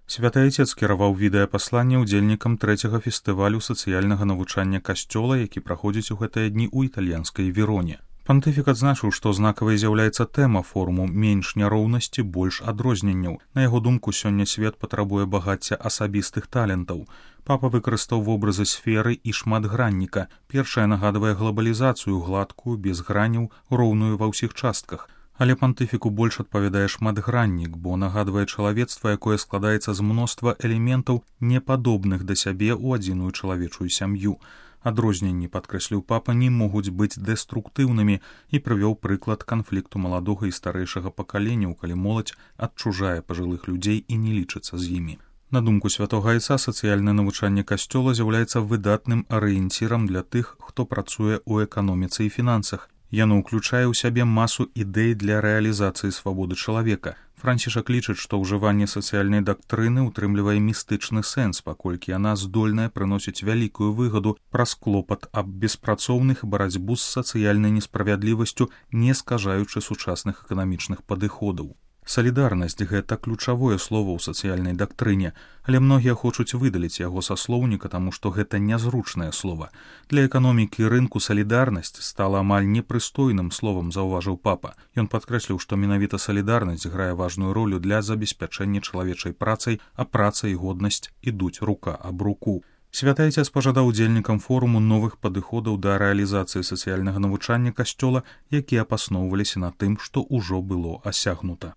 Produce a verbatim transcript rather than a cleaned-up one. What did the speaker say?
Святы Айцец кіраваў відэапасланне ўдзельнікам трэцяга фестывалю сацыяльнага навучання касцёла, які праходзіць у гэтыя дні ў італьянскай Вероне. Пантыфік адзначыў, што знакавай з'яўляецца тэма форуму «Менш няроўнасці, больш адрозненняў». На яго думку, сёння свет патрабуе багацця асабістых талентаў. Папа выкарыстаў вобразы сферы і шматгранніка. Першая нагадвае глабалізацыю, гладкую, без граняў, роўную ва ўсіх частках. Але пантыфіку больш адпавядае шматграннік, бо нагадвае чалавецтва, якое складаецца з мноства элементаў, непадобных да сябе ў адзіную чалавечую сям'ю. Адрозненні, падкрэсліў папа, не могуць быць дэструктыўнымі і прывёў прыклад канфлікту маладога і старэйшага пакаленняў, калі моладзь адчужае пажылых людзей і не лічыцца з імі. На думку святога Айца, сацыяльнае навучанне касцёла з'яўляецца выдатным арыенцірам для тых, хто працуе ў эканоміцы і фінансах. Яно ўключае ў сябе масу ідэй для рэалізацыі свабоды чалавека. Францішак лічыць, што ўжыванне сацыяльнай дактрыны ўтрымлівае містычны сэнс, паколькі яна здольная прыносіць вялікую выгаду праз клопат аб беспрацоўных і барацьбу з сацыяльнай несправядлівасцю, не скажаючы сучасных эканамічных падыходаў. Салідарнасць – гэта ключавое слово ў сацыяльнай дактрыне, але многія хочуць выдаліць яго са слоўніка, таму што гэта нязручнае слова. Для эканомікі і рынку салідарнасць стала амаль непрыстойным словам, заўважыў папа. Ён падкрэсліў, што менавіта салідарнасць грае важную ролю для забеспячэння чалавечай працай, а праца і годнасць ідуць рука аб руку. Святы Айцец пажадаў удзельнікам форуму новых падыходаў да рэалізацыі сацыяльнага навучання касцёла, якія апасноўваліся на тым, што ўжо было асягнута.